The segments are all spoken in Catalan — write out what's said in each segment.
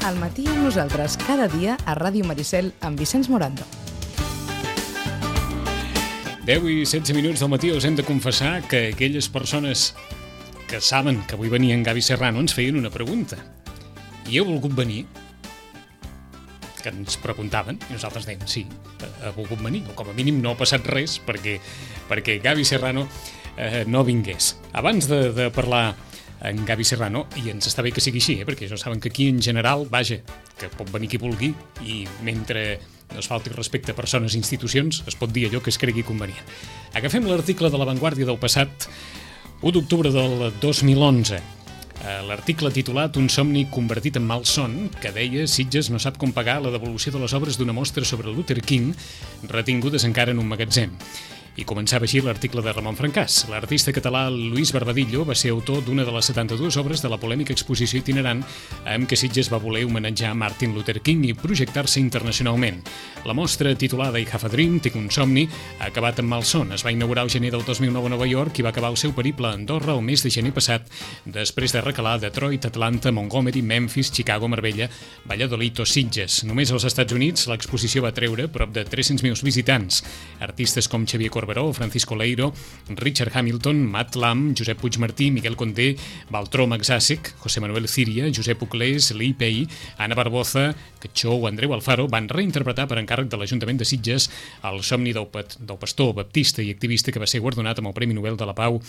Al matí amb nosaltres, cada dia a Ràdio Maricel amb Vicenç Morando. 10 i 16 minuts del matí us hem de confessar que aquelles persones que saben que avui venia en Gavi Serrano ens feien una pregunta. I heu volgut venir? Que ens preguntaven, i nosaltres dèiem sí, ha volgut venir, o com a mínim no ha passat res perquè Gavi Serrano no vingués. Abans de parlar en Gavi Serrano, i ens està bé que sigui així, perquè ja saben que aquí en general, vaja, que pot venir qui vulgui, i mentre no es falti respecte a persones i institucions, es pot dir allò que es cregui convenient. Agafem l'article de La Vanguardia del passat 1 d'octubre del 2011. L'article titulat Un somni convertit en malson, que deia Sitges no sap com pagar la devolució de les obres d'una mostra sobre Luther King retingudes encara en un magatzem. I començava així l'article de Ramon Francàs. L'artista català Luis Barbadillo va ser autor d'una de les 72 obres de la polèmica exposició itinerant amb què Sitges va voler homenatjar Martin Luther King i projectar-se internacionalment. La mostra, titulada I Have a Dream, Tinc un somni, ha acabat amb malson. Es va inaugurar el gener del 2009 a Nova York i va acabar el seu periple a Andorra el mes de gener passat, després de recalar Detroit, Atlanta, Montgomery, Memphis, Chicago, Marbella, Valladolid o Sitges. Només als Estats Units l'exposició va treure prop de 300.000 visitants. Artistes com Xavier Corberó, Francisco Leiro, Richard Hamilton, Matt Lam, Josep Puigmartí, Miguel Condé, Baltró Maxàsec, José Manuel Ciria, Josep Uclés, Lee Pei, Anna Barboza, Catxó o Andreu Alfaro van reinterpretar per encàrrec de l'Ajuntament de Sitges el somni del pastor baptista i activista que va ser guardonat amb el Premi Nobel de la Pau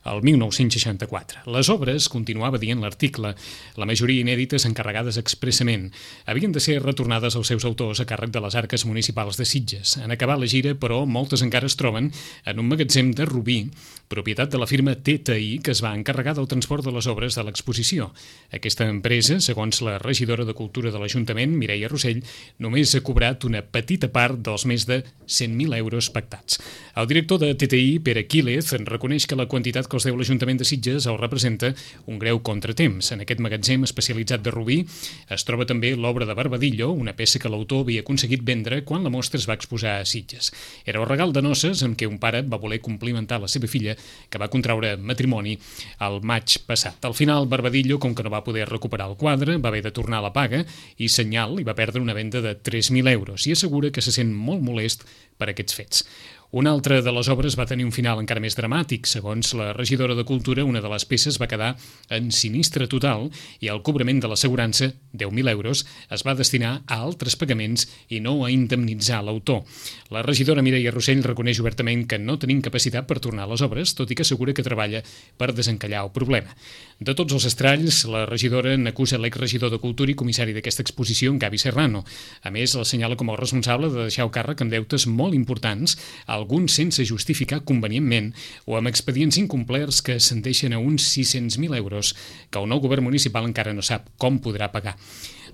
el 1964. Les obres, continuava dient l'article, la majoria inèdites encarregades expressament, havien de ser retornades als seus autors a càrrec de les arques municipals de Sitges. En acabar la gira, però, moltes encara es troben en un magatzem de Rubí, propietat de la firma TTI, que es va encarregar del transport de les obres de l'exposició. Aquesta empresa, segons la regidora de Cultura de l'Ajuntament, Mireia Rossell, només ha cobrat una petita part dels més de 100.000 euros pactats. El director de TTI, Pere Quílez, reconeix que la quantitat que els deu l'Ajuntament de Sitges el representa un greu contratemps. En aquest magatzem especialitzat de Rubí es troba també l'obra de Barbadillo, una peça que l'autor havia aconseguit vendre quan la mostra es va exposar a Sitges. Era el regal de noces amb què un pare va voler complimentar la seva filla, que va contraure matrimoni el maig passat. Al final, Barbadillo, com que no va poder recuperar el quadre, va haver de tornar a la paga i Senyal hi va perdre una venda de 3.000 euros i assegura que se sent molt molest per aquests fets. Una altra de les obres va tenir un final encara més dramàtic. Segons la regidora de Cultura, una de les peces va quedar en sinistre total i el cobrament de l'assegurança, 10.000 euros, es va destinar a altres pagaments i no a indemnitzar l'autor. La regidora Mireia Rossell reconeix obertament que no tenim capacitat per tornar a les obres, tot i que assegura que treballa per desencallar el problema. De tots els estralls, la regidora n'acusa l'exregidor de Cultura i comissari d'aquesta exposició, en Gavi Serrano. A més, l'assenyala com el responsable de deixar el càrrec amb deutes molt importants, alguns sense justificar convenientment o amb expedients incomplerts que ascendeixen a uns 600.000 euros que el nou govern municipal encara no sap com podrà pagar.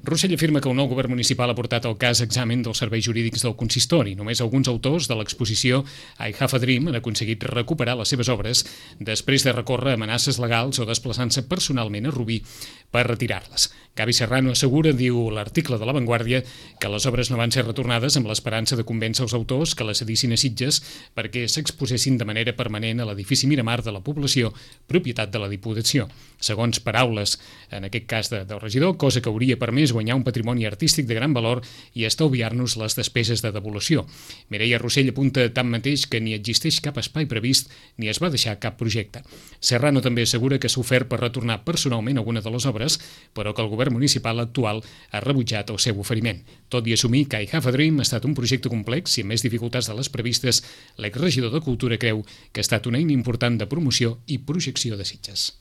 Rossell afirma que el nou govern municipal ha portat el cas a examen dels serveis jurídics del consistori. Només alguns autors de l'exposició I Have a Dream han aconseguit recuperar les seves obres després de recórrer amenaces legals o desplaçant-se personalment a Rubí per retirar-les. Gavi Serrano assegura, diu l'article de La Vanguardia, que les obres no van ser retornades amb l'esperança de convèncer els autors que les cedissin a Sitges perquè s'exposessin de manera permanent a l'edifici Miramar de la població, propietat de la Diputació. Segons paraules, en aquest cas del regidor, cosa que hauria permès guanyar un patrimoni artístic de gran valor i estalviar-nos les despeses de devolució. Mireia Rossell apunta tanmateix que ni existeix cap espai previst ni es va deixar cap projecte. Serrano també assegura que s'ha ofert per retornar personalment alguna de les obres, però que el govern municipal actual ha rebutjat el seu oferiment. Tot i assumir que I Have a Dream ha estat un projecte complex i amb més dificultats de les previstes, l'exregidor de Cultura creu que ha estat una eina important de promoció i projecció de Sitges.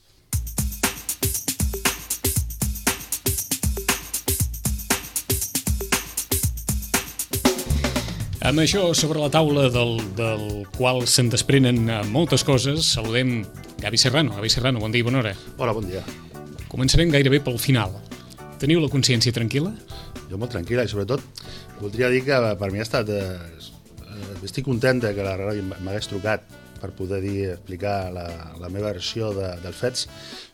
Amb això sobre la taula del qual se'n desprenen moltes coses, saludem Gavi Serrano. Gavi Serrano, bon dia i bona hora. Hola, bon dia. Començarem gairebé pel final. Teniu la consciència tranquil·la? Jo molt tranquil·la i sobretot voldria dir que per mi ha estat... estic contenta que la ràdio m'hagués trucat per poder explicar la meva versió dels fets.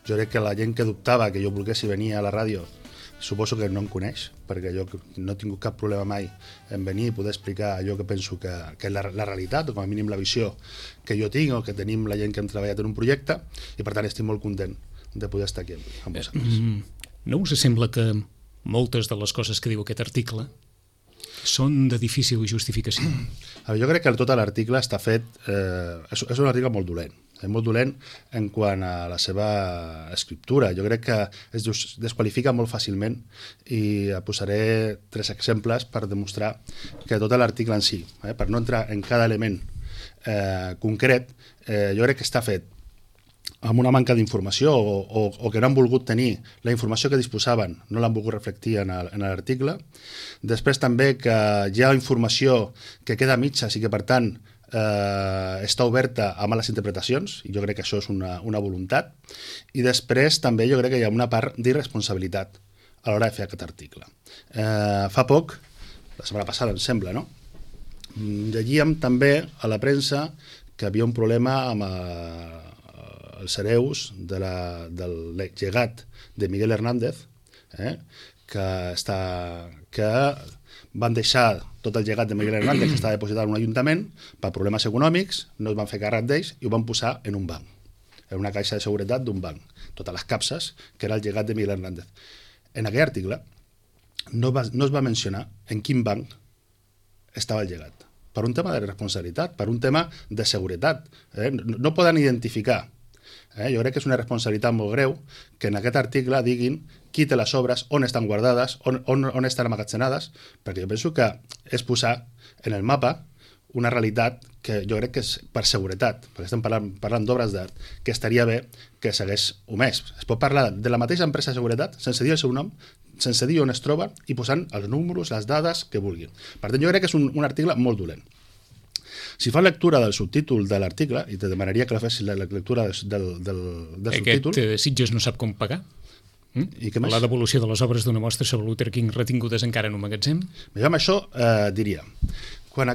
Jo crec que la gent que dubtava que jo volgués venir a la ràdio suposo que no em coneix, perquè jo no he tingut cap problema mai en venir i poder explicar allò que penso que és la realitat, o com a mínim la visió que jo tinc o que tenim la gent que hem treballat en un projecte, i per tant estic molt content de poder estar aquí amb vosaltres. No us sembla que moltes de les coses que diu aquest article són de difícil justificació. Jo crec que tot l'article està fet... és un article molt dolent. És molt dolent en quant a la seva escriptura. Jo crec que es desqualifica molt fàcilment i posaré 3 exemples per demostrar que tot l'article en si, per no entrar en cada element concret, jo crec que està fet amb una manca d'informació o que no han volgut tenir la informació que disposaven, no l'han volgut reflectir en l'article. Després també que hi ha informació que queda a mitges i que per tant està oberta a males interpretacions, i jo crec que això és una voluntat. I després també jo crec que hi ha una part d'irresponsabilitat a l'hora de fer aquest article. Fa poc, la setmana passada em sembla, no? Llegíem també a la premsa que havia un problema amb els hereus del llegat de Miguel Hernández, que van deixar tot el llegat de Miguel Hernández que estava depositat en un ajuntament per problemes econòmics, no es van fer càrrec d'ells i ho van posar en un banc, en una caixa de seguretat d'un banc, totes les capses, que era el llegat de Miguel Hernández. En aquell article no es va mencionar en quin banc estava el llegat, per un tema de responsabilitat, per un tema de seguretat. No poden identificar. Jo crec que és una responsabilitat molt greu que en aquest article diguin qui té les obres, on estan guardades, on estan amagatzenades, perquè jo penso que és posar en el mapa una realitat que jo crec que és per seguretat, perquè estem parlant d'obres d'art, que estaria bé que s'hagués omès. Es pot parlar de la mateixa empresa de seguretat sense dir el seu nom, sense dir on es troba i posant els números, les dades que vulguin. Per tant, jo crec que és un article molt dolent. Si fa lectura del subtítol de l'article, i te demanaria que la fessis la lectura del subtítol... Aquest Sitges no sap com pagar? I què més? La devolució de les obres d'una mostra sobre Luther King retingudes encara en un magatzem? Amb això diria... Quan a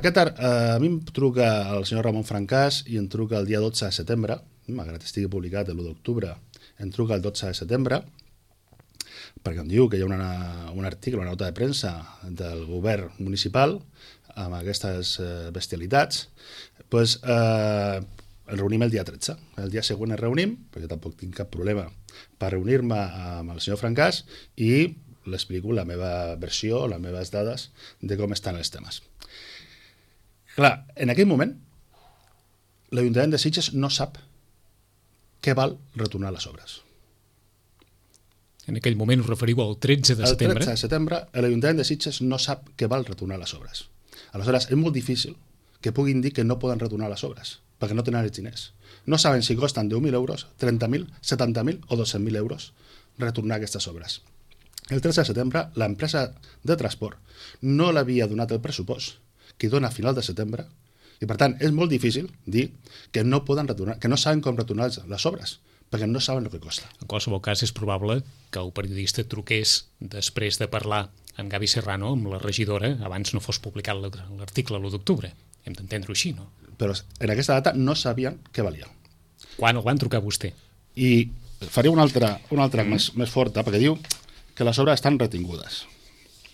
mi em truca el senyor Ramon Francàs i em truca el dia 12 de setembre, malgrat estigui publicat l'1 d'octubre, em truca el 12 de setembre, perquè em diu que hi ha un article, una nota de premsa del govern municipal amb aquestes bestialitats, doncs el reunim el dia 13. El dia següent el reunim, perquè tampoc tinc cap problema per reunir-me amb el senyor Francàs i l'explico la meva versió, les meves dades de com estan els temes. Clar, en aquell moment, l'Ajuntament de Sitges no sap què val retornar les obres. En aquell moment us referiu al 13 de setembre? El 13 de setembre, l'Ajuntament de Sitges no sap què val retornar les obres. Aleshores, és molt difícil que puguin dir que no poden retornar les obres, perquè no tenen els diners. No saben si costen 10.000 euros, 30.000, 70.000 o 200.000 euros retornar aquestes obres. El 13 de setembre, l'empresa de transport no l'havia donat el pressupost que dona a final de setembre, i per tant és molt difícil dir que no poden retornar, que no saben com retornar les obres, perquè no saben el que costa. En qualsevol cas, és probable que el periodista truqués després de parlar amb Gavi Serrano, amb la regidora, abans no fos publicat l'article l'1 d'octubre. Hem d'entendre-ho així, no? Però en aquesta data no sabien què valia. Quan el van trucar a vostè? I faré una altra més forta, perquè diu que les obres estan retingudes.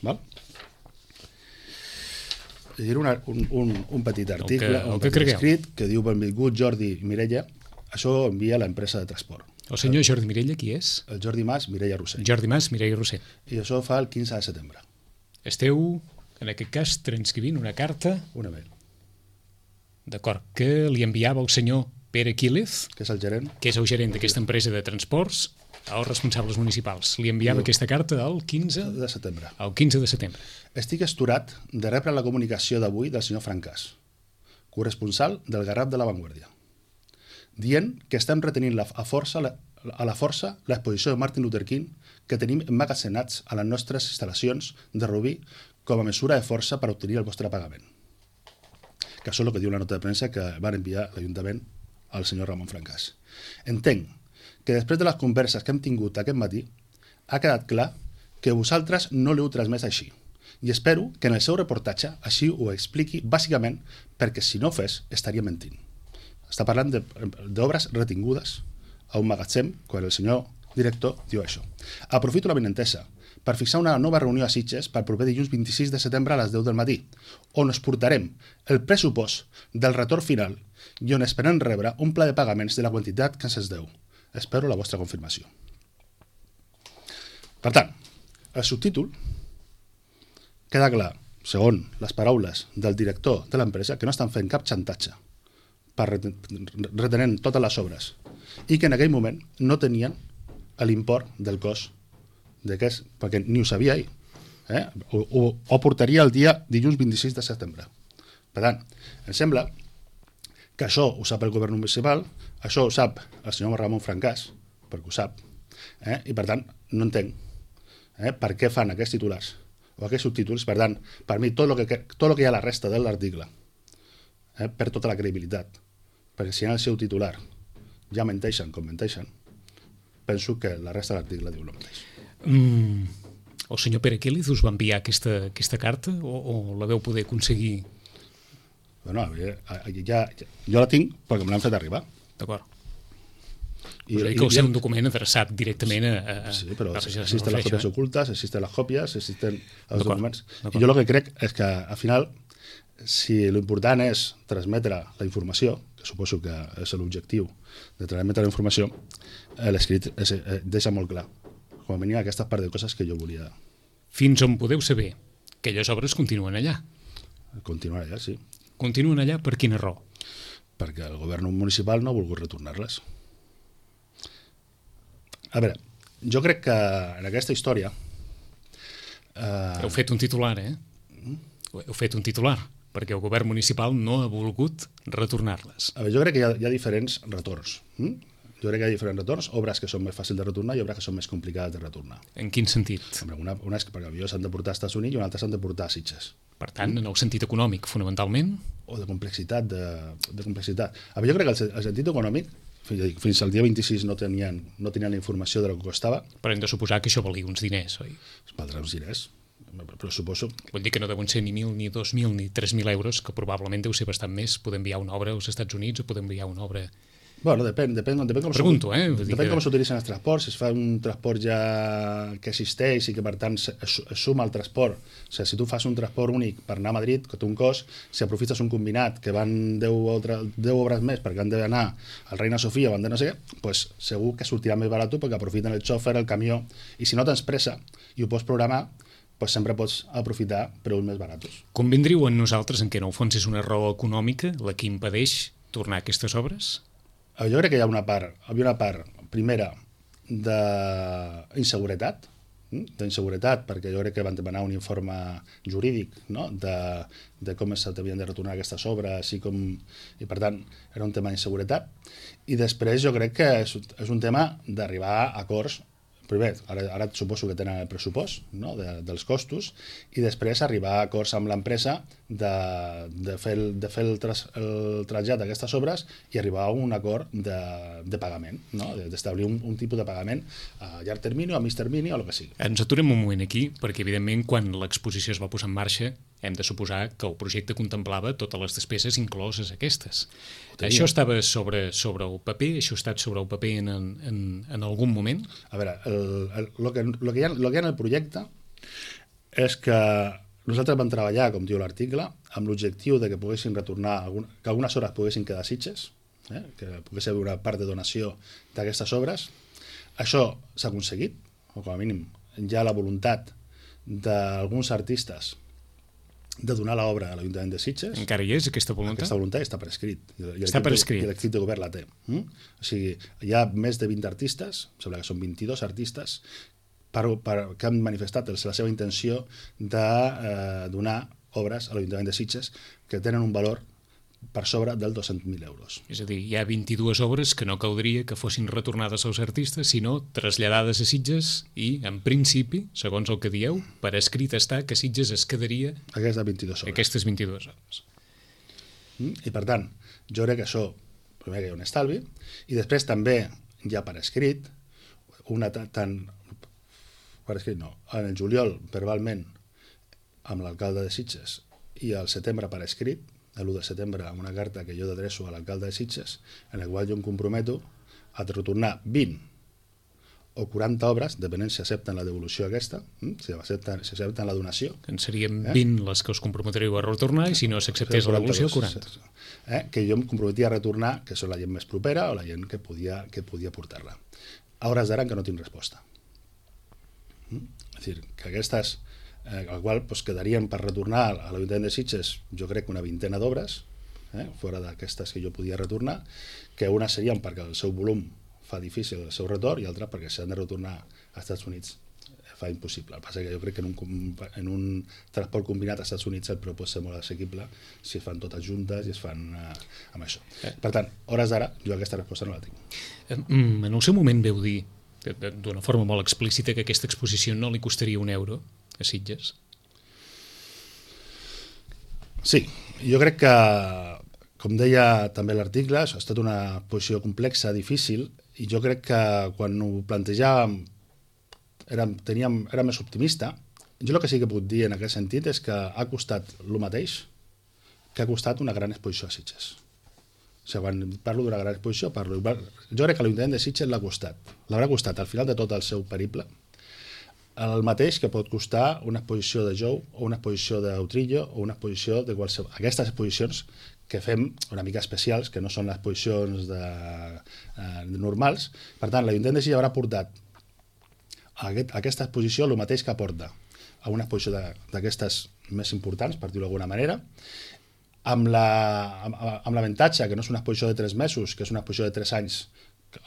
Val? Llegiré un petit article, un petit escrit, que diu: benvingut Jordi i Mireia, això ho envia l'empresa de transport. El senyor Jordi Mirella, qui és? El Jordi Mas, Mireia Roser. Jordi Mas, Mireia Roser. I això fa el 15 de setembre. Esteu, en aquest cas, transcrivint una carta... Una mail. D'acord, que li enviava el senyor Pere Quílez, que és el gerent, que és el gerent d'aquesta empresa de transports, als responsables municipals. Li enviava aquesta carta el 15 de setembre. El 15 de setembre. Estic asturat de rebre la comunicació d'avui del senyor Francàs, corresponsal del Garraf de la Vanguardia, dient que estem retenint a la força l'exposició de Martin Luther King que tenim emmagatzemats a les nostres instal·lacions de Rubí com a mesura de força per obtenir el vostre pagament. Que això és el que diu la nota de premsa que van enviar l'Ajuntament al senyor Ramon Francàs. Entenc que després de les converses que hem tingut aquest matí ha quedat clar que vosaltres no l'heu transmès així, i espero que en el seu reportatge així ho expliqui bàsicament, perquè si no ho fes estaria mentint. Està parlant d'obres retingudes a un magatzem quan el senyor director diu això. Aprofito la benentesa per fixar una nova reunió a Sitges per proper dilluns 26 de setembre a les 10 del matí, on us portarem el pressupost del retorn final i on esperem rebre un pla de pagaments de la quantitat que se'ns deu. Espero la vostra confirmació. Per tant, el subtítol queda clar, segons les paraules del director de l'empresa, que no estan fent cap xantatge per retenent totes les obres i que en aquell moment no tenien l'import del cost d'aquest, perquè ni ho sabia ell. Ho portaria el dia dilluns 26 de setembre. Per tant, em sembla que això ho sap el govern municipal, això ho sap el senyor Ramon Francàs, perquè ho sap, i per tant no entenc per què fan aquests titulars o aquests subtítols. Per tant, per mi tot el que hi ha a la resta de l'article perd tota la credibilitat, perquè si en el seu titular ja menteixen com menteixen, penso que la resta de l'article diu el mateix. El senyor Pere Quílez us va enviar aquesta carta o la veu poder aconseguir? Bueno, jo la tinc perquè me l'han fet arribar. D'acord. Us que va ser un document adreçat directament a... Sí, però existen les còpies ocultes, existen les còpies, existen els documents. I jo el que crec és que, al final, si l'important és transmetre la informació, que suposo que és l'objectiu de transmetre la informació, l'escrit deixa molt clar. Com a mínim aquestes part de coses que jo volia... Fins on podeu saber que aquelles obres continuen allà? Continuen allà, sí. Continuen allà per quina raó? Perquè el govern municipal no ha volgut retornar-les. A veure, jo crec que en aquesta història... Heu fet un titular, Heu fet un titular, perquè el govern municipal no ha volgut retornar-les. A veure, jo crec que hi ha diferents retorns. Jo crec que hi ha diferents retorns, obres que són més fàcils de retornar i obres que són més complicades de retornar. En quin sentit? Una és que per avió s'han de portar als Estats Units i una altra s'han de portar a Sitges. Per tant, en el sentit econòmic, fonamentalment? O de complexitat. De complexitat. A veure, jo crec que el sentit econòmic, fins al dia 26 no tenien la informació de lo que costava. Però hem de suposar que això valia uns diners, oi? Valdrà uns diners, però suposo... Vull dir que no deuen ser ni 1.000, ni 2.000, ni 3.000 euros, que probablement deu ser bastant més poder enviar una obra als Estats Units o poder enviar una obra... Bueno, depèn com pregunto, depèn com s'utilitzen els transports, si es fa un transport ja que existeix i que per tant es suma al transport. O sigui, si tu fas un transport únic per anar a Madrid, que té un cost, si aprofites un combinat que van 10 obres més perquè han d'anar al Reina Sofia o han de no sé què, pues segur que sortirà més barat perquè aprofiten el xòfer, el camió, i si no tens pressa i ho pots programar, pues sempre pots aprofitar preus més barats. Convindriu en nosaltres en què en el fons és una raó econòmica la que impedeix tornar aquestes obres? Jo crec que hi havia una part primera d'inseguretat, perquè jo crec que van demanar un informe jurídic, no? de com s'havien de retornar aquestes obres i per tant era un tema d'inseguretat, i després jo crec que és un tema d'arribar a acords. Primer, ara suposo que tenen el pressupost, no? dels costos, i després arribar a acords amb l'empresa de fer el trasllat d'aquestes obres i arribar a un acord de pagament, no? D'establir un tipus de pagament a llarg termini o a mig termini o el que sigui. Ens aturem un moment aquí, perquè evidentment quan l'exposició es va posar en marxa hem de suposar que el projecte contemplava totes les despeses incloses aquestes. Això estava sobre el paper? Això ha estat sobre el paper en algun moment? A veure, el que hi ha en el projecte és que nosaltres vam treballar, com diu l'article, amb l'objectiu de que poguessin retornar, que algunes obres poguessin quedar a Sitges, que pogués haver una part de donació d'aquestes obres. Això s'ha aconseguit, o com a mínim hi ha la voluntat d'alguns artistes de donar l'obra a l'Ajuntament de Sitges. Encara hi és aquesta voluntat? Aquesta voluntat està per escrit. Està per escrit. I l'equip de govern la té. O sigui, hi ha més de 20 artistes, em sembla que són 22 artistes, que han manifestat la seva intenció de donar obres a l'Ajuntament de Sitges que tenen un valor per sobre dels 200.000 euros. És a dir, hi ha 22 obres que no caldria que fossin retornades als artistes, sinó traslladades a Sitges i, en principi, segons el que dieu, per escrit està que Sitges es quedaria aquestes 22 obres. I per tant, jo crec que això, primer que hi ha un estalvi, i després també hi ha per escrit, en el juliol, verbalment, amb l'alcalde de Sitges, i al setembre per escrit, l'1 de setembre, amb una carta que jo adreço a l'alcalde de Sitges, en la qual jo em comprometo a retornar 20 o 40 obres, depenent si accepten la devolució aquesta, si accepten la donació. En serien 20 les que us comprometreu a retornar i si no s'acceptés la devolució, 40. Que jo em comprometia a retornar, que són la gent més propera o la gent que podia portar-la. A hores d'ara que no tinc resposta. És a dir, que aquestes, al qual quedarien per retornar a l'Ajuntament de Sitges, jo crec que una vintena d'obres, fora d'aquestes que jo podia retornar, que unes serien perquè el seu volum fa difícil el seu retorn i altres perquè s'han de retornar als Estats Units fa impossible. El que passa que jo crec que en un transport combinat als Estats Units el preu pot ser molt assequible si es fan totes juntes i es fan amb això. Per tant, hores d'ara, jo aquesta resposta no la tinc. En el seu moment veu dir, d'una forma molt explícita, que aquesta exposició no li costaria €1 a Sitges. Sí, jo crec que, com deia també l'article, això ha estat una posició complexa, difícil, i jo crec que quan ho plantejàvem era més optimista. Jo el que sí que puc dir en aquest sentit és que ha costat el mateix que ha costat una gran exposició a Sitges. O sigui, quan parlo d'una gran exposició, jo crec que l'Ajuntament de Sitges l'haurà costat al final de tot el seu periple el mateix que pot costar una exposició de Jou o una exposició d'Utrillo o una exposició de qualsevol. Aquestes exposicions que fem una mica especials, que no són les exposicions normals. Per tant, l'Ajuntament de Sitges haurà portat a aquesta exposició el mateix que aporta a una exposició d'aquestes més importants, per dir-ho d'alguna manera, amb l'avantatge que no és una exposició de 3 mesos, que és una exposició de 3 anys,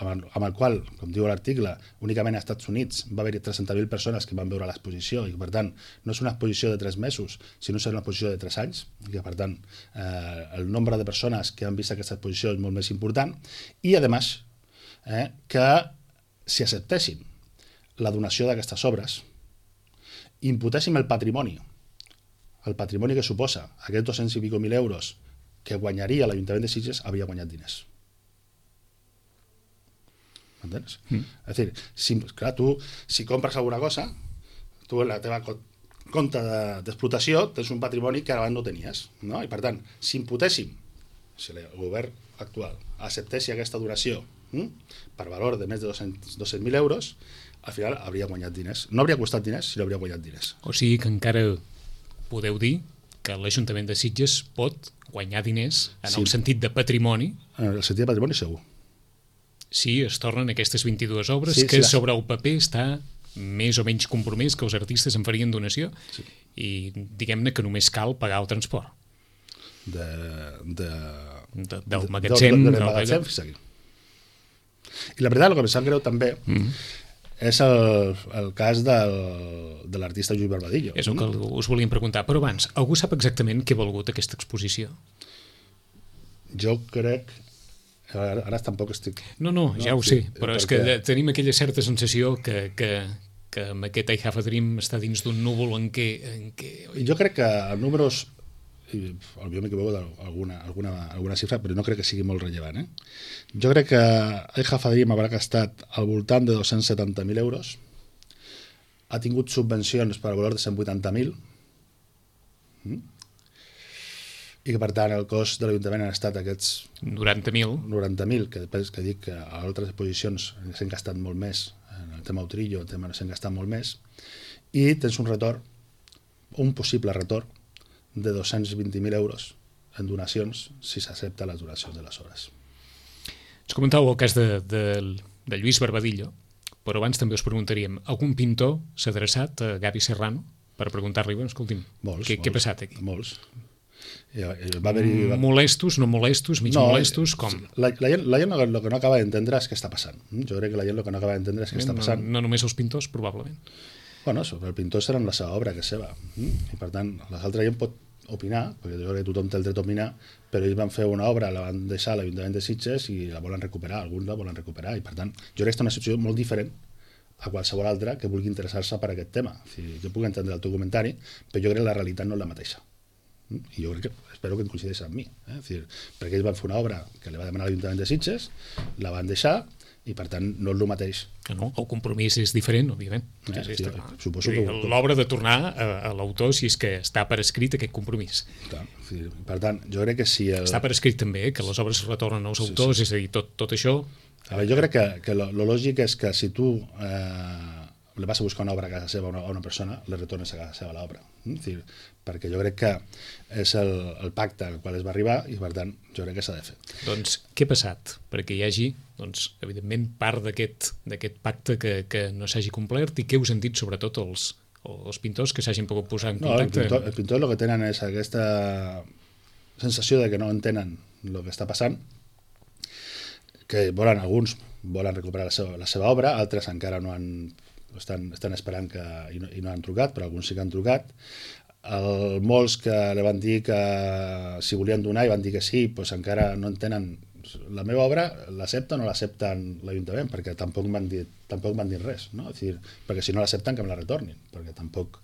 amb el qual, com diu l'article, únicament als Estats Units va haver-hi 300.000 persones que van veure l'exposició i, per tant, no és una exposició de 3 mesos, sinó que és una exposició de 3 anys, i que, per tant, el nombre de persones que han vist aquesta exposició és molt més important, i, a més, que si acceptessin la donació d'aquestes obres, imputéssim el patrimoni que suposa aquests 200 i pico mil euros que guanyaria l'Ajuntament de Sitges, havia guanyat diners. M'entens? És a dir, si compres alguna cosa, tu en la teva compte d'explotació tens un patrimoni que abans no tenies, no? I per tant, si imputéssim, si el govern actual acceptessi aquesta donació per valor de més de 200.000 euros, al final hauria guanyat diners. No hauria costat diners, sinó hauria guanyat diners. O sigui que encara podeu dir que l'Ajuntament de Sitges pot guanyar diners en el sentit de patrimoni. En el sentit de patrimoni, segur. Si es tornen aquestes 22 obres que sobre el paper està més o menys compromès que els artistes en farien donació i diguem-ne que només cal pagar el transport. Del magatzem. Fins aquí. I la veritat, el que em sap greu també és el cas de l'artista Lluís Barbadillo. És el que us volíem preguntar. Però abans, algú sap exactament què ha valgut aquesta exposició? Jo crec... Ara tampoc estic... No, ja ho sé, però és que tenim aquella certa sensació que amb aquest I Have a Dream està dins d'un núvol en què... Jo crec que els números... Potser m'equivoco d'alguna xifra, però no crec que sigui molt rellevant. Jo crec que I Have a Dream haurà gastat al voltant de 270.000 euros, ha tingut subvencions per valor de 180.000, i que, per tant, el cost de l'Ajuntament han estat aquests 90.000, que dic que a altres exposicions s'han gastat molt més, en el tema Utrillo, el tema no s'han gastat molt més, i tens un possible retorn de 220.000 euros en donacions si s'accepta les donacions de les obres. Ens comentàveu el cas de Lluís Barbadillo, però abans també us preguntaríem, algun pintor s'ha adreçat a Gavi Serrano per preguntar-li, escolti'm, què ha passat aquí? Molts. Molestos, no molestos, mig molestos, com? La gent el que no acaba d'entendre és què està passant. Jo crec que la gent el que no acaba d'entendre és què està passant. No només els pintors, probablement. Bueno, el pintor serà la seva obra, que és seva. I per tant, l'altra gent pot opinar, perquè jo crec que tothom té el dret a opinar, però ells van fer una obra, la van deixar a l'Ajuntament de Sitges i la volen recuperar, alguns la volen recuperar, i per tant, jo crec que és una situació molt diferent a qualsevol altra que vulgui interessar-se per aquest tema. Jo puc entendre el teu comentari, però jo crec que la realitat no és la mateixa. I jo crec que, espero que et coincideixis amb mi, perquè ells van fer una obra que li va demanar l'Ajuntament de Sitges, la van deixar, i per tant no és el mateix. No, el compromís és diferent, òbviament. Suposo que l'obra de tornar a l'autor si és que està per escrit aquest compromís. Per tant, jo crec que si... Està per escrit també, que les obres retornen als autors, és a dir, tot això... Jo crec que lo lògic és que si tu li vas a buscar una obra a casa seva a una persona, li retornes a casa seva l'obra. Perquè jo crec que és el pacte al qual es va arribar i, per tant, jo crec que s'ha de fer. Doncs què ha passat? Perquè hi hagi, evidentment, part d'aquest pacte que no s'hagi complert i què us han dit, sobretot, els o els pintors que s'hagin pogut posar en No, contacte? el pintor el que tenen és aquesta sensació de que no entenen el que està passant, que alguns volen recuperar la seva obra, altres encara no estan esperant i no han trucat, però alguns sí que han trucat. Molts que li van dir que si volien donar i van dir que sí, doncs encara no entenen la meva obra, l'accepta o no l'accepten l'Ajuntament, perquè tampoc m'han dit res, no? És dir, perquè si no l'accepten que me la retornin, perquè tampoc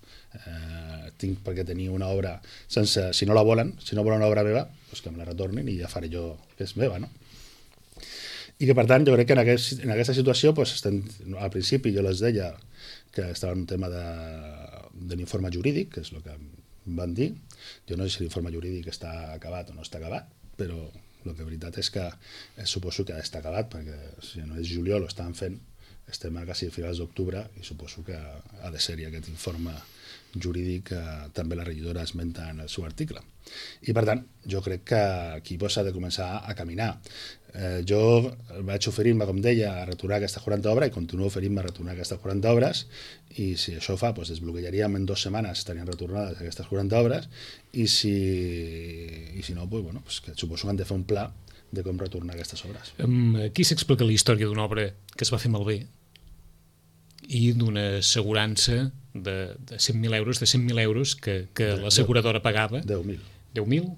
tinc per què tenir una obra sense, si no volen una obra meva, doncs que me la retornin i ja faré jo que és meva, no? I que per tant jo crec que en aquesta situació al principi jo les deia que estava en un tema de l'informe jurídic, que és el que em van dir. Jo no sé si l'informe jurídic està acabat o no està acabat, però el que veritat és que suposo que està acabat, perquè si no és juliol ho estan fent, estem a quasi a finals d'octubre i suposo que ha de ser-hi aquest informe jurídic que també la regidora esmenta en el seu article. I per tant, jo crec que aquí s'ha de començar a caminar. Jo vaig oferir-me, com deia, a retornar aquestes 40 obres i continuo oferint-me a retornar aquestes 40 obres i si això fa, desbloquejaríem en 2 setmanes, estarien retornades aquestes 40 obres i si no, que suposo que han de fer un pla de com retornar aquestes obres. Aquí s'explica la història d'una obra que es va fer malbé i d'una assegurança de 100.000 euros que l'asseguradora pagava. 10.000. 10.000?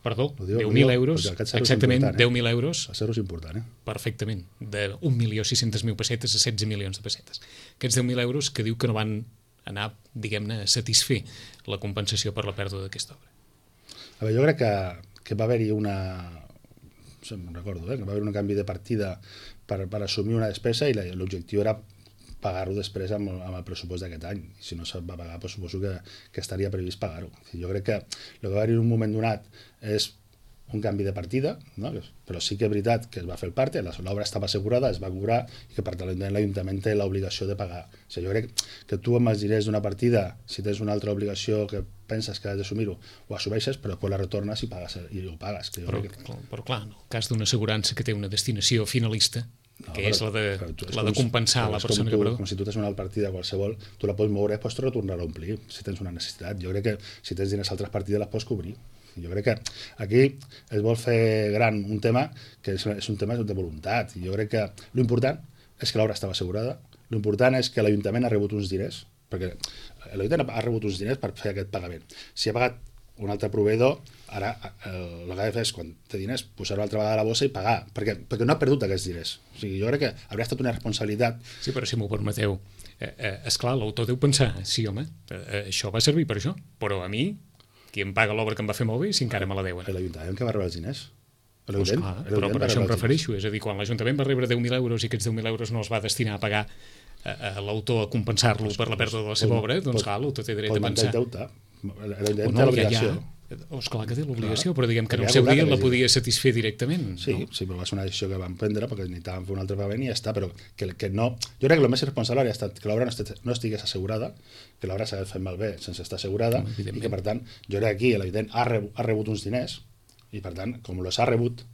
Perdó, 10.000 euros, exactament, 10.000 euros. El zero és important, Perfectament, de 1.600.000 pessetes a 16 milions de pessetes. Aquests 10.000 euros que diu que no van anar, diguem-ne, a satisfer la compensació per la pèrdua d'aquesta obra. A veure, jo crec que va haver-hi no recordo, que va haver un canvi de partida per assumir una despesa i l'objectiu era pagar-ho després amb el pressupost d'aquest any. I si no se'n va pagar, suposo que estaria previst pagar-ho. Jo crec que el que va haver-hi en un moment donat és un canvi de partida, no? Però sí que és veritat que es va fer el parte, l'obra estava assegurada, es va cobrar i que per tant l'Ajuntament té l'obligació de pagar. O sigui, jo crec que tu amb els diners d'una partida, si tens una altra obligació que penses que has d'assumir-ho, ho assumeixes, però després la retornes i ho pagues. Però clar, en el cas d'una assegurança que té una destinació finalista, que és la de compensar la persona que perdó. Com si tu tens una partida qualsevol, tu la pots moure i pots tornar-la a omplir si tens una necessitat. Jo crec que si tens diners a altres partides les pots cobrir. Jo crec que aquí es vol fer gran un tema que és un tema de voluntat. Jo crec que l'important és que l'obra estava assegurada, l'important és que l'Ajuntament ha rebut uns diners, perquè l'Ajuntament ha rebut uns diners per fer aquest pagament. Si ha pagat un altre proveïdor, ara el que ha de fer és, quan té diners, posar-ho altra vegada a la bossa i pagar, perquè no ha perdut aquests diners. O sigui, jo crec que hauria estat una responsabilitat. Sí, però si m'ho permeteu, esclar, l'autor deu pensar, sí, home, això va servir per això, però a mi, qui em paga l'obra que em va fer molt bé, si encara me la deuen. L'Ajuntament que va rebre els diners. Però per això em refereixo, és a dir, quan l'Ajuntament va rebre 10.000 euros i aquests 10.000 euros no els va destinar a pagar a l'autor a compensar-lo per la pèrdua de la seva obra, doncs clar, l'autor té dret a pensar. L'Ajuntament té l'obligació. Esclar que té l'obligació, però diguem que en el seu dia la podia satisfer directament. Sí, però va ser una decisió que van prendre perquè necessitàvem fer un altre pagament i ja està, però que no... Jo crec que el més responsable hauria estat que l'obra no estigués assegurada, que l'obra s'hagués fet malbé sense estar assegurada i que, per tant, jo crec que aquí l'Ajuntament ha rebut uns diners i, per tant, com els ha rebut,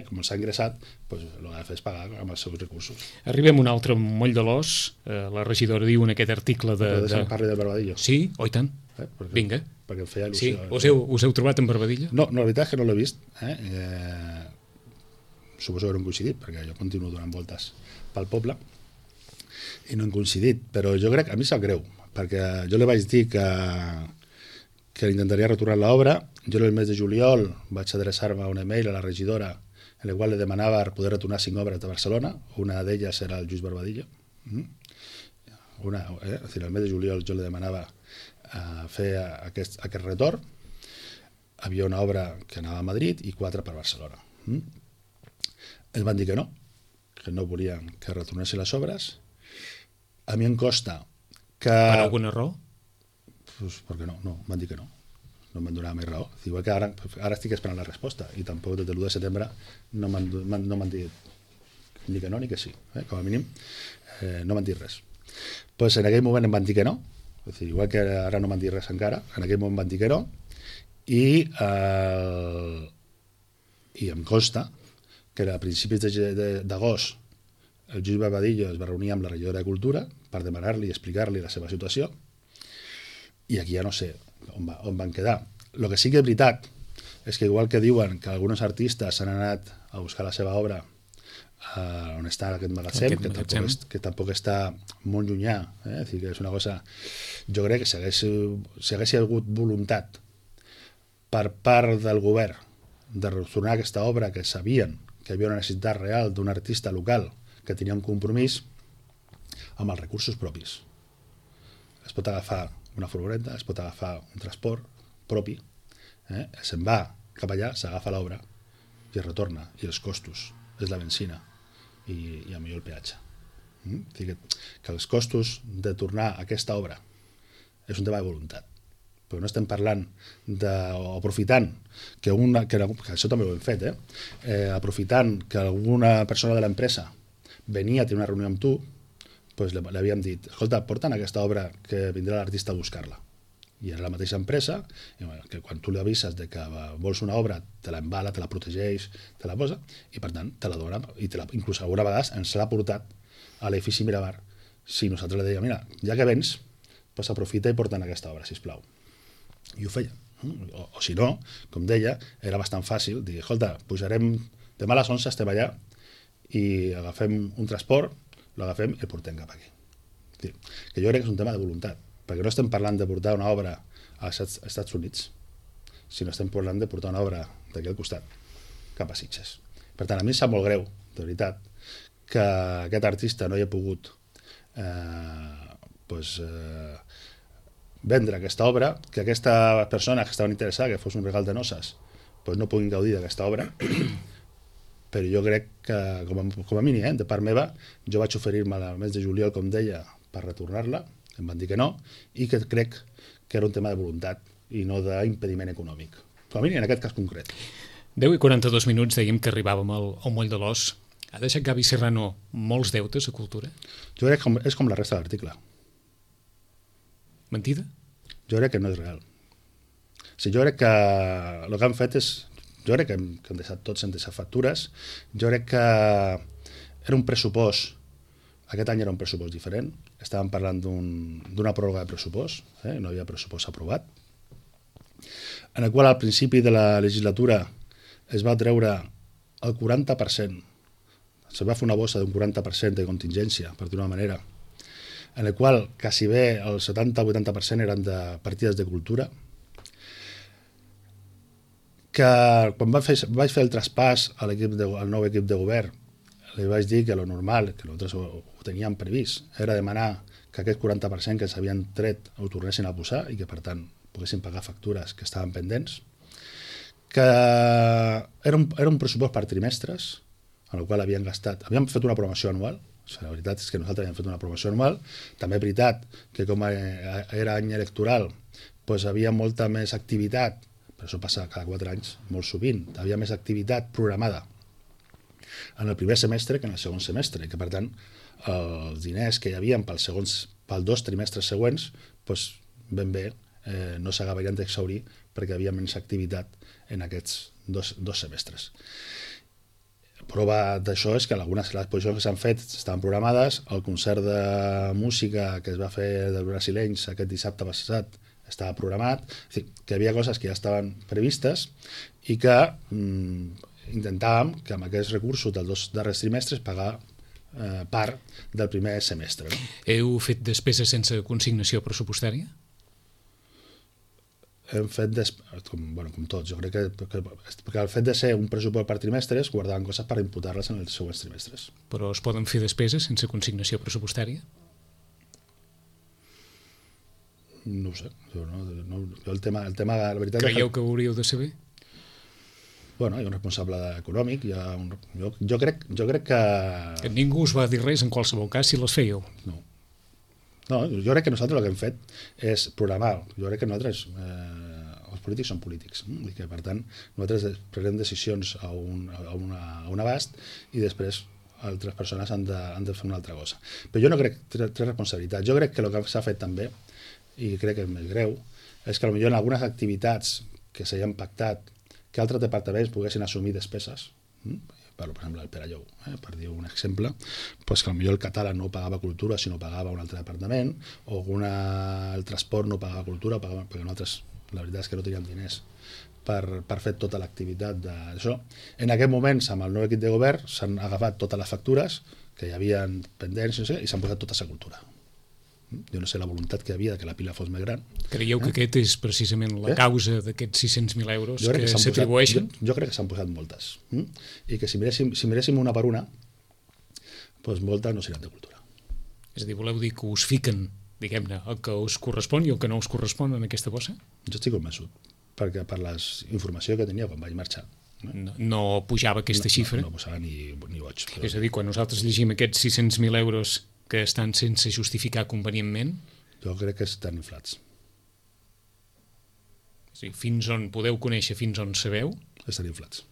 com els ha ingressat, el que ha de fer és pagar amb els seus recursos. Arribem a un altre moll de l'os. La regidora diu en aquest article de... Parli del Barbadillo. Sí, oi tant. Vinga. Perquè em feia il·lusió. Sí, us heu trobat en Barbadillo? No, la veritat és que no l'he vist. Suposo que no hem coincidit, perquè jo continuo donant voltes pel poble i no hem coincidit, però jo crec, a mi sap greu, perquè jo li vaig dir que intentaria retornar l'obra. Jo el mes de juliol vaig adreçar-me un email a la regidora en el qual li demanava poder retornar 5 obres de Barcelona. Una d'elles era el Lluís Barbadillo. El mes de juliol jo li demanava fer aquest retorn. Havia una obra que anava a Madrid i 4 per Barcelona. Ells van dir que no volien que retornessin les obres. A mi em costa que... Per alguna raó? Perquè no, van dir que no. No em van donar més raó. Igual que ara estic esperant la resposta i tampoc des de l'1 de setembre no m'han dit ni que no ni que sí. Com a mínim no m'han dit res. En aquell moment em van dir que no. Igual que ara no m'han dit res encara, en aquell moment van dir que no i em consta que a principis d'agost el Lluís Barbadillo es va reunir amb la regidora de Cultura per demanar-li i explicar-li la seva situació, i aquí ja no sé on van quedar. El que sí que és veritat és que igual que diuen que alguns artistes s'han anat a buscar la seva obra on està aquest magatzem, que tampoc està molt llunyà, és dir, que és una cosa... Jo crec que si hagués hagut voluntat per part del govern de retornar aquesta obra, que sabien que hi havia una necessitat real d'un artista local que tenia un compromís, amb els recursos propis. Es pot agafar una furgoneta, es pot agafar un transport propi, se'n va cap allà, s'agafa l'obra i es retorna, i els costos és la benzina i a millor el peatge. Que els costos de tornar a aquesta obra és un tema de voluntat, però no estem parlant aprofitant que això també ho hem fet, aprofitant que alguna persona de l'empresa venia a tenir una reunió amb tu, doncs li havíem dit, escolta, porta'n aquesta obra que vindrà l'artista a buscar-la. I era la mateixa empresa, que quan tu li avises de que vols una obra, te la embala, te la protegeix, te la posa, i per tant te la dona, i inclús alguna vegada ens l'ha portat a l'edifici Mirabar, si nosaltres li dèiem, mira, ja que vens, doncs aprofita i porta'n aquesta obra, sisplau. I ho feia. O si no, com deia, era bastant fàcil dir, escolta, pujarem, demà a les 11 estem allà i agafem un transport, l'agafem i el portem cap aquí. Que jo crec que és un tema de voluntat, perquè no estem parlant de portar una obra als Estats Units, sinó estem parlant de portar una obra d'aquí al costat, cap a Sitges. Per tant, a mi em sap molt greu, de veritat, que aquest artista no hi ha pogut vendre aquesta obra, que aquestes persones que estaven interessades que fos un regal de noces no puguin gaudir d'aquesta obra, però jo crec que, com a mínim, de part meva, jo vaig oferir-me al mes de juliol, com deia, per retornar-la, em van dir que no, i que crec que era un tema de voluntat i no d'impediment econòmic. Com a mínim en aquest cas concret. 10 i 42 minuts dèiem que arribàvem al Moll de l'Os. Ha deixat Gavi Serrano molts deutes a Cultura? Jo crec que és com la resta de l'article. Mentida? Jo crec que no és real. Jo crec que el que han fet és... Jo crec que hem deixat tots, hem deixat factures. Jo crec que era un pressupost. Aquest any era un pressupost diferent. Estàvem parlant d'una pròrroga de pressupost, no hi havia pressupost aprovat, en el qual al principi de la legislatura es va treure el 40%, se va fer una bossa d'un 40% de contingència, per dir-ho d'una manera, en el qual quasi bé el 70-80% eren de partides de cultura, que quan vaig fer el traspàs al nou equip de govern, li vaig dir que lo normal, que nosaltres ho teníem previst, era demanar que aquest 40% que s'havien tret ho tornessin a posar i que, per tant, poguessin pagar factures que estaven pendents, que era un pressupost per trimestres, en el qual havíem fet una programació anual. La veritat és que nosaltres havíem fet una programació anual. També és veritat que com era any electoral, doncs havia molta més activitat, però això passa cada 4 anys, molt sovint, havia més activitat programada en el primer semestre que en el segon semestre, i que per tant els diners que hi havia pels 2 trimestres següents ben bé no s'acabarien d'exhaurir perquè hi havia menys activitat en aquests dos semestres. Prova d'això és que algunes de les exposicions que s'han fet estaven programades, el concert de música que es va fer dels brasilenys aquest dissabte passat estava programat, és dir, que hi havia coses que ja estaven previstes i que intentàvem que amb aquests recursos dels 2 darrers trimestres pagar part del primer semestre. No? Heu fet despeses sense consignació pressupostària? Hem fet, com tots, jo crec que el fet de ser un pressupost per trimestres guardaven coses per imputar-les en els següents trimestres. Però es poden fer despeses sense consignació pressupostària? No ho sé. Jo el tema, la veritat... Creieu que ho hauríeu de saber? Bueno, hi ha un responsable econòmic, jo crec que... Ningú us va dir res en qualsevol cas si les fèieu? No, jo crec que nosaltres el que hem fet és programar. Jo crec que nosaltres, els polítics són polítics, i que per tant nosaltres prenem decisions a un abast i després altres persones han de fer una altra cosa. Però jo no crec que té responsabilitat. Jo crec que el que s'ha fet també, i crec que és més greu, és que potser en algunes activitats que s'havien pactat que altres departaments poguessin assumir despeses. parlo per exemple del Perelló, per dir un exemple, doncs que potser el català no pagava cultura sinó pagava un altre departament, o el transport no pagava cultura, perquè nosaltres la veritat és que no teníem diners per fer tota l'activitat d'això. En aquest moments, amb el nou equip de govern, s'han agafat totes les factures que hi havia pendents, no sé, i s'han posat totes a cultura. Jo no sé la voluntat que hi havia de que la pila fos més gran. Creieu que aquest és precisament la causa d'aquests 600.000 euros que s'atribueixen? Jo crec que s'han posat moltes. I que si miréssim una per una, doncs moltes no seran de cultura. És a dir, voleu dir que us fiquen, diguem-ne, el que us correspon i el que no us correspon en aquesta bossa? Jo estic convençut, perquè per la informació que tenia quan vaig marxar, no pujava aquesta xifra? No posava ni boig. És a dir, quan nosaltres llegim aquests 600.000 euros que estan sense justificar convenientment... Jo crec que estan inflats. És a dir, fins on podeu conèixer, fins on sabeu? Estan inflats.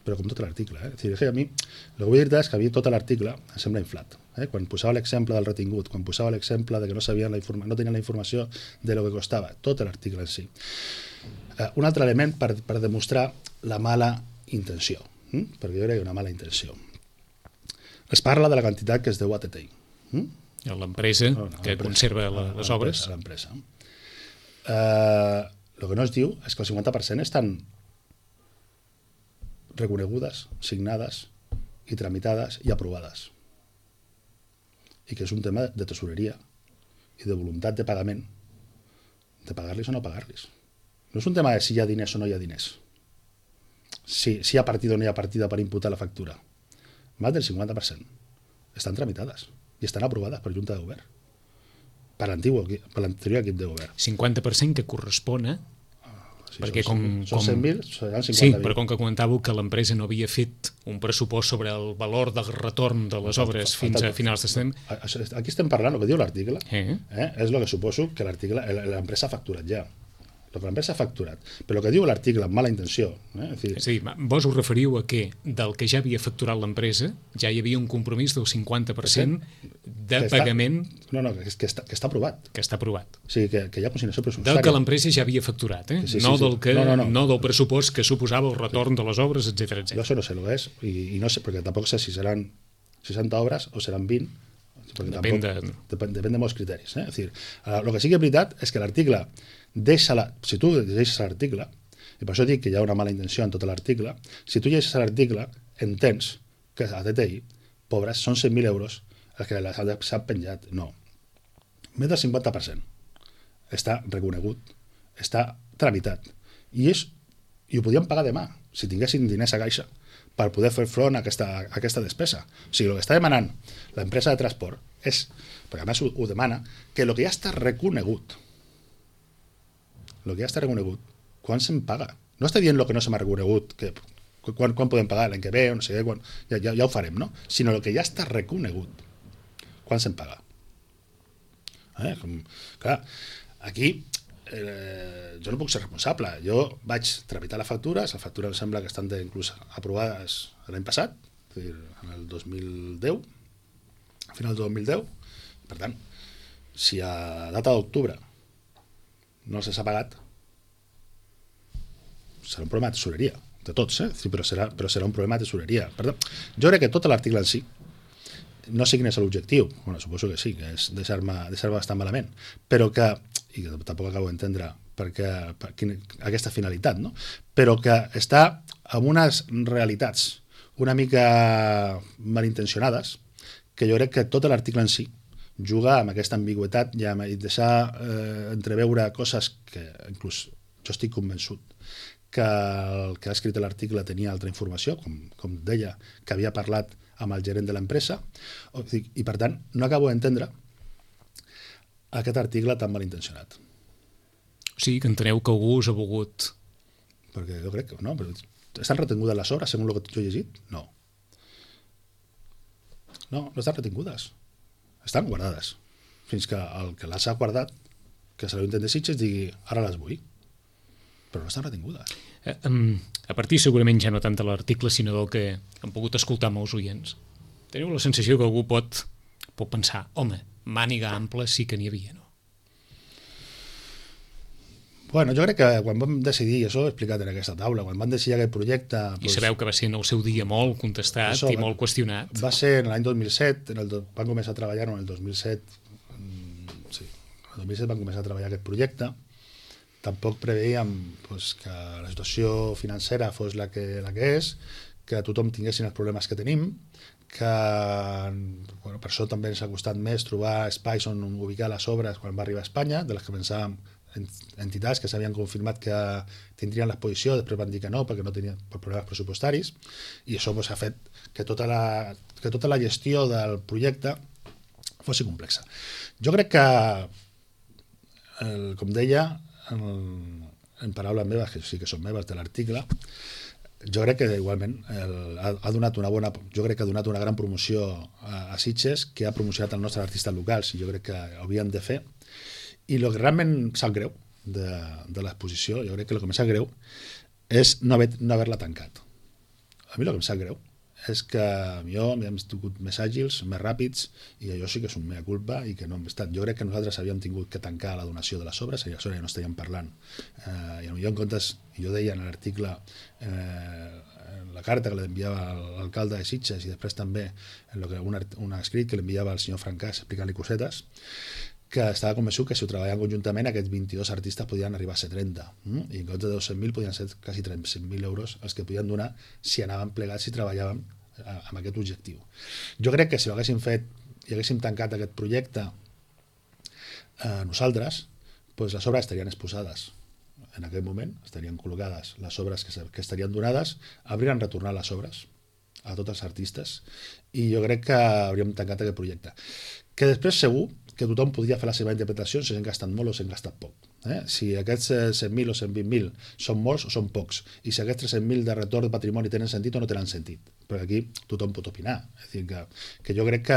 Però com tot l'article. És a dir, a mi, el que vull dir és que a mi tot l'article em sembla inflat. Quan posava l'exemple del retingut, quan posava l'exemple de que no tenien la informació de lo que costava, tot l'article en si. Un altre element per demostrar la mala intenció, perquè jo crec que hi ha una mala intenció. Es parla de la quantitat que es deu a TTI. L'empresa que conserva les obres. L'empresa. El que no es diu és que el 50% estan reconegudes, signades i tramitades i aprovades. I que és un tema de tesoreria i de voluntat de pagament, de pagar-los o no pagar-los. No és un tema de si hi ha diners o no hi ha diners, si hi ha partida o no hi ha partida per imputar la factura. Més del 50% estan tramitades i estan aprovades per Junta de Govern, per l'anterior equip de govern. 50% que correspon a... perquè són 100.000, seran 50.000. Sí, però com que comentàveu que l'empresa no havia fet un pressupost sobre el valor del retorn de les obres fins a finals de setembre... Aquí estem parlant, el que diu l'article, és el que suposo que l'empresa ha facturat ja. El que l'empresa ha facturat. Però el que diu l'article amb mala intenció... És a dir, vos us referiu a que del que ja havia facturat l'empresa ja hi havia un compromís del 50% de pagament... No, que està aprovat. Que està aprovat. O sigui, que hi ha consignació pressupostària. Del que l'empresa ja havia facturat, no del pressupost que suposava el retorn de les obres, etc. Jo això no sé el que és, i no sé, perquè tampoc sé si seran 60 obres o seran 20, depèn de molts criteris. És a dir, el que sí que és veritat és que l'article si tu llegeixes l'article, i per això dic que hi ha una mala intenció en tot l'article, si tu llegeixes l'article entens que a TTI, pobres, són 100.000 euros els que s'ha penjat. No. Més del 50% està reconegut, està tramitat, i ho podíem pagar demà, si tinguessin diners a caixa, per poder fer front a aquesta despesa. O sigui, el que està demanant l'empresa de transport és, perquè a més ho demana, que el que ja està reconegut, quan se'n paga? No està dient el que no se m'ha reconegut, quan podem pagar, l'any que ve, o no sé què, ja ho farem, no? Sinó el que ja està reconegut, quan se'n paga. Clar, aquí jo no puc ser responsable. Jo vaig tramitar les factures em sembla que estan inclús aprovades l'any passat, és a dir, en el 2010, a final del 2010. Per tant, si a data d'octubre no s'ha pagat, serà un problema de tesoreria, de tots, però serà un problema de tesoreria. Per tant, jo crec que tot l'article en si, no sé quin és l'objectiu, bueno, suposo que sí, que és deixar-me bastant malament, però que, i que tampoc acabo d'entendre aquesta finalitat, no? Però que està amb unes realitats una mica malintencionades, que jo crec que tot l'article en si juga amb aquesta ambigüitat i deixar entreveure coses que inclús jo estic convençut que el que ha escrit l'article tenia altra informació, com deia, que havia parlat amb el gerent de l'empresa, i per tant no acabo d'entendre aquest article tan malintencionat. O sigui, que enteneu que algú us ha volgut... Perquè jo crec que no, però estan retingudes les obres, segons el que jo he llegit? No. No estan retingudes. Estan guardades. Fins que el que les ha guardat, que se l'Ajuntament de Sitges, digui, ara les vull. Però no estan retingudes. A partir segurament ja no tant de l'article, sinó del que han pogut escoltar molts oients. Teniu la sensació que algú pot pensar, home, màniga ampla sí que n'hi havia, no? Bueno, jo crec que quan vam decidir, i això ho he explicat en aquesta taula, quan vam decidir aquest projecte... I sabeu que va ser en el seu dia molt contestat i molt qüestionat. Va ser en l'any 2007, van començar a treballar-ho en el 2007, sí, en el 2007 van començar a treballar aquest projecte. Tampoc preveiem que la situació financera fos la que és, que tothom tinguessin els problemes que tenim, que per això també ens ha costat més trobar espais on ubicar les obres quan va arribar a Espanya, de les que pensàvem entitats que s'havien confirmat que tindrien l'exposició, després van dir que no perquè no tenien problemes pressupostaris, i això ha fet que tota la gestió del projecte fos complexa. Jo crec que, com deia, en paraules meves, que sí que són meves de l'article, jo crec que igualment ha donat una gran promoció a Sitges, que ha promocionat els nostres artistes locals, i jo crec que hauríem de fer. I el que realment sap greu de l'exposició, jo crec que el que em sap greu és no haver-la tancat. A mi el que em sap greu és que jo m'hem tingut més àgils, més ràpids, i allò sí que és un mea culpa i que no hem estat. Jo crec que nosaltres havíem tingut que tancar la donació de les obres, i això ja no estàvem parlant. I potser en comptes, jo deia en l'article, la carta que l'enviava l'alcalde de Sitges i després també un escrit que l'enviava al senyor Francàs explicant-li cosetes, que estava convençut que si ho treballaven conjuntament aquests 22 artistes podien arribar a ser 30, i en comptes de 200.000 podien ser quasi 300.000 euros els que podien donar si anaven plegats i treballàvem amb aquest objectiu. Jo crec que si ho haguéssim fet i haguéssim tancat aquest projecte nosaltres, les obres estarien exposades en aquell moment, estarien col·locades les obres que estarien donades, haurien retornat les obres a tots els artistes, i jo crec que hauríem tancat aquest projecte. Que després segur que tothom podria fer la seva interpretació si s'han gastat molt o s'han gastat poc. Si aquests 100.000 o 120.000 són molts o són pocs, i si aquests 300.000 de retorn de patrimoni tenen sentit o no tenen sentit. Perquè aquí tothom pot opinar. És a dir, que jo crec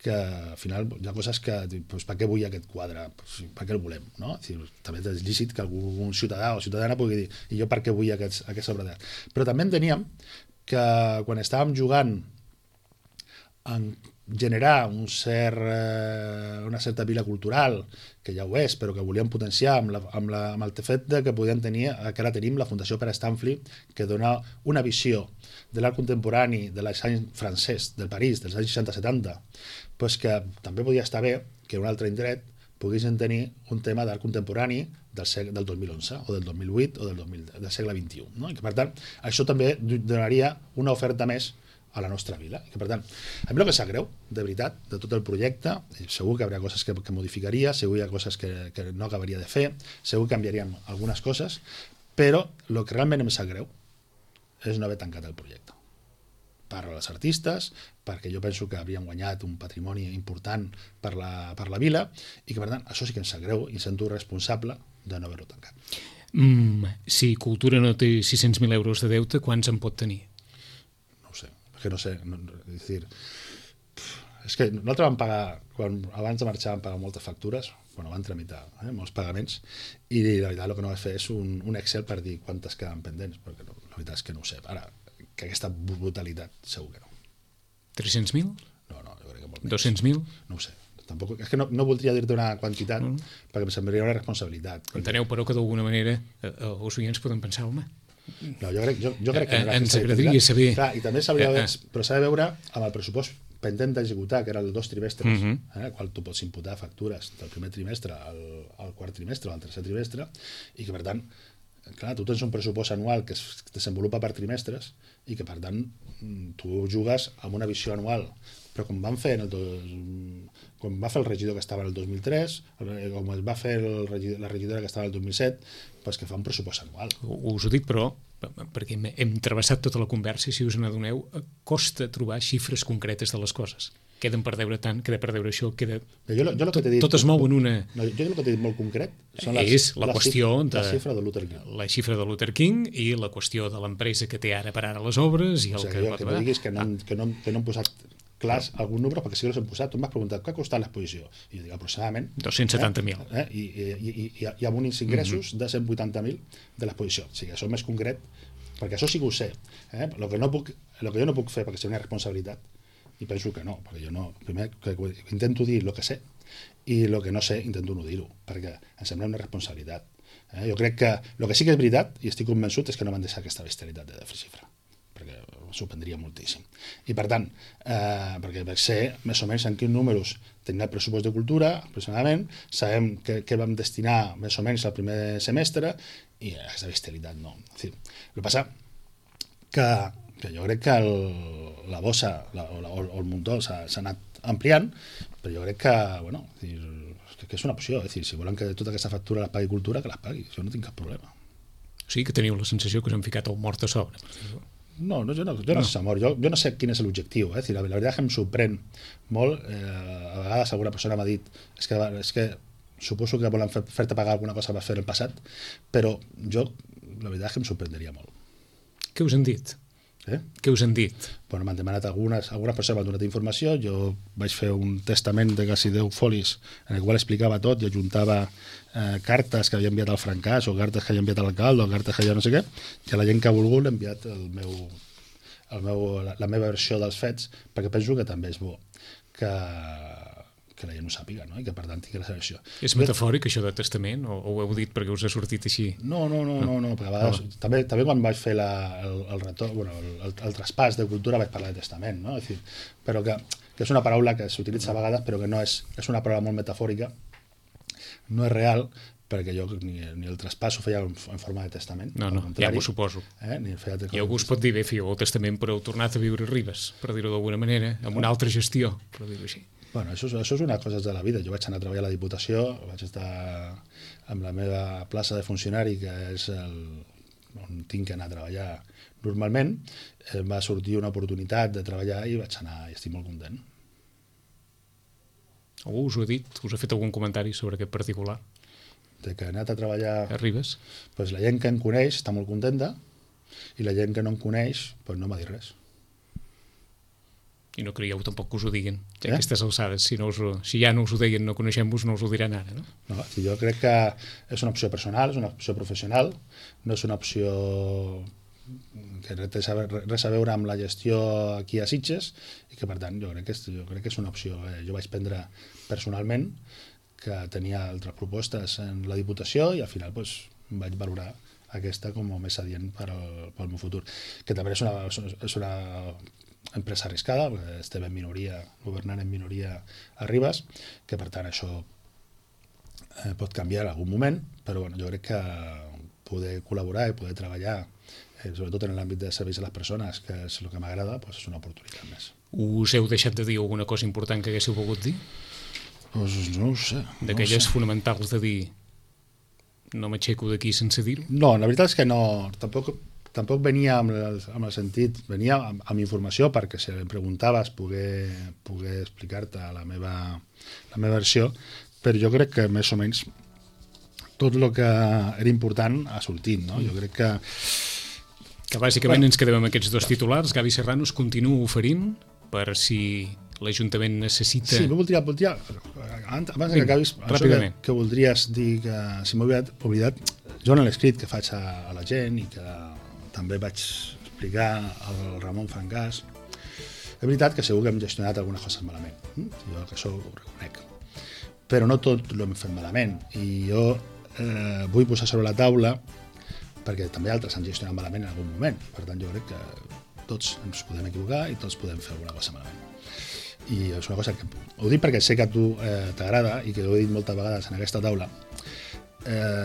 que al final hi ha coses que, per què vull aquest quadre? Per què el volem? No? També és lícit que algun ciutadà o ciutadana pugui dir, i jo per què vull aquesta obra d'art? Però també enteníem que quan estàvem jugant en generar una certa vila cultural, que ja ho és, però que volíem potenciar amb el fet que podíem tenir, que ara tenim la Fundació Pere Stanfli, que dona una visió de l'art contemporani de l'any francès, del París, dels anys 60-70, que també podia estar bé que un altre indret poguessin tenir un tema d'art contemporani del 2011 o del 2008 o del segle XXI. No? I que, per tant, això també donaria una oferta més a la nostra vila. I que, per tant, a mi el que sap greu, de veritat, de tot el projecte, segur que hi hauria coses que modificaria, segur que hi ha coses que no acabaria de fer, segur que canviaríem algunes coses, però el que realment em sap greu és no haver tancat el projecte. Parlo als artistes, perquè jo penso que havíem guanyat un patrimoni important per la vila, i que, per tant, això sí que em sap greu i em sento responsable de no haver-ho tancat. Si Cultura no té 600.000 euros de deute, quants en pot tenir? Que no sé, és que nosaltres vam pagar, abans de marxar vam pagar moltes factures, van tramitar molts pagaments, i la veritat el que no vaig fer és un Excel per dir quantes quedaven pendents, perquè la veritat és que no ho sé. Ara, que aquesta brutalitat segur que no. 300.000? No, jo crec que molt menys. 200.000? No ho sé. Tampoc, és que no voldria dir-te una quantitat perquè em semblaria una responsabilitat. Enteneu, però, que d'alguna manera els oients poden pensar, home, no, jo crec que ens agradaria saber. Clar, i també però s'ha de veure amb el pressupost pendent d'executar, que era el 2 trimestres, al qual tu pots imputar factures del primer trimestre al quart trimestre o al tercer trimestre, i que, per tant, clar, tu tens un pressupost anual que es desenvolupa per trimestres i que, per tant, tu jugues amb una visió anual. Però com va fer el regidor que estava en el 2003, com es va fer la regidora que estava en el 2007, que fa un pressupost anual. Us ho dic, però, perquè hem travessat tota la conversa, i si us n'adoneu, costa trobar xifres concretes de les coses. Queden per deure tant, queda per deure això, tot es mou en una... Jo el que t'he dit molt concret és la qüestió de la xifra de Luther King. La xifra de Luther King i la qüestió de l'empresa que té ara per ara les obres i el que va... Que diguis que no hem posat clars algun número, perquè sí que els hem posat. Tu m'has preguntat què ha costat l'exposició, i jo dic aproximadament 270.000 i amb uns ingressos de 180.000 de l'exposició. O sigui, això és més concret, perquè això sí que ho sé. El que jo no puc fer, perquè seria una responsabilitat, i penso que no, perquè jo no, primer que intento dir el que sé, i el que no sé intento no dir-ho, perquè em sembla una responsabilitat. Jo crec que el que sí que és veritat, i estic convençut, és que no m'han deixat aquesta bestialitat de xifra, perquè s'ho prendria moltíssim. I per tant, perquè sé més o menys en quins números tenim el pressupost de cultura, aproximadament, sabem què vam destinar més o menys al primer semestre, i aquesta bestialitat no. El que passa que jo crec que la bossa o el muntó s'ha anat ampliant, però jo crec que és una opció. Si volen que tota aquesta factura la pagui cultura, que la pagui. Jo no tinc cap problema. O sigui que teniu la sensació que us han ficat el mort a sobre. No, jo no sé mort. Jo no sé quin és l'objectiu. La veritat que em sorprèn molt. A vegades alguna persona m'ha dit és que suposo que volen fer-te pagar alguna cosa que vas fer en el passat, però jo la veritat és que em sorprendria molt. Què us han dit? Què us han dit? Bueno, m'han demanat algunes persones m'han donat informació, jo vaig fer un testament de quasi 10 folis en el qual explicava tot i ajuntava cartes que havia enviat al francàs o cartes que havia enviat a l'alcalde o cartes que havia no sé què, i a la gent que ha volgut l'he enviat la meva versió dels fets, perquè penso que també és bo que la gent ho sàpiga, no? I que per tant tingui la seva versió. És metafòric això de testament o ho heu dit perquè us ha sortit així? No, perquè a vegades també quan vaig fer el retorn, el traspàs de cultura vaig parlar de testament, no? Però que és una paraula que s'utilitza a vegades però que no és una paraula molt metafòrica, no és real, perquè jo ni el traspàs ho feia en forma de testament. No, ja m'ho suposo. I algú es pot dir, fèieu el testament però heu tornat a viure a Ribes, per dir-ho d'alguna manera, amb una altra gestió, per dir-ho així. Bueno, això és una cosa de la vida. Jo vaig anar a treballar a la Diputació, vaig estar amb la meva plaça de funcionari, que és on tinc que anar a treballar normalment. Em va sortir una oportunitat de treballar i vaig anar i estic molt content. Algú us ho ha dit? Us ha fet algun comentari sobre aquest particular? De que he anat a treballar a Ribes? Pues la gent que em coneix està molt contenta i la gent que no em coneix pues no m'ha dit res. I no creieu tampoc que us ho diguin, ja aquestes alçades. Si ja no us ho deien, no coneixem-vos, no us ho diran ara, no? No, jo crec que és una opció personal, és una opció professional, no és una opció que té res a veure amb la gestió aquí a Sitges i que per tant jo crec que és una opció. Jo vaig prendre personalment que tenia altres propostes en la Diputació i al final vaig valorar aquesta com a més adient pel meu futur, que també és una empresa arriscada, perquè estem en minoria, governant en minoria a Ribes, que per tant això pot canviar en algun moment, però bueno, jo crec que poder col·laborar i poder treballar, sobretot en l'àmbit de serveis a les persones, que és el que m'agrada, és una oportunitat més. Us heu deixat de dir alguna cosa important que haguéssiu volgut dir? No ho sé. D'aquelles fonamentals de dir no m'aixeco d'aquí sense dir-ho? No, la veritat és que no, tampoc venia amb el sentit, venia amb informació perquè si em preguntaves poder explicar-te la meva versió, però jo crec que més o menys tot el que era important ha sortit, no? Jo crec que bàsicament ens quedem amb aquests dos titulars. Gavi Serrano es continua oferint per si l'Ajuntament necessita... Sí, voldria abans que acabis, això que voldries dir que si m'he oblidat, jo en l'escrit que faig a la gent i que també vaig explicar al Ramon Francàs, és veritat que segur que hem gestionat algunes coses malament, jo que això ho reconec, però no tot l'hem fet malament i jo vull posar sobre la taula perquè també altres han gestionat malament en algun moment, per tant jo crec que tots ens podem equivocar i tots podem fer alguna cosa malament. I és una cosa que ho dic perquè sé que a tu t'agrada i que ho he dit moltes vegades en aquesta taula.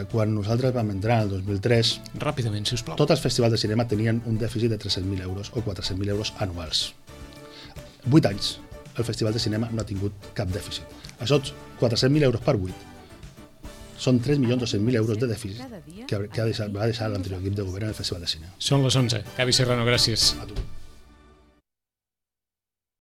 Quan nosaltres vam entrar en el 2003, ràpidament, sisplau, tots els festivals de cinema tenien un dèficit de 300.000 euros o 400.000 euros anuals. 8 anys el festival de cinema no ha tingut cap dèficit. Això 400.000 euros per 8 són 3.200.000 euros de dèficit que va deixar l'anterior equip de govern en el festival de cinema. Són les 11. Gavi Serrano, gràcies. A tu.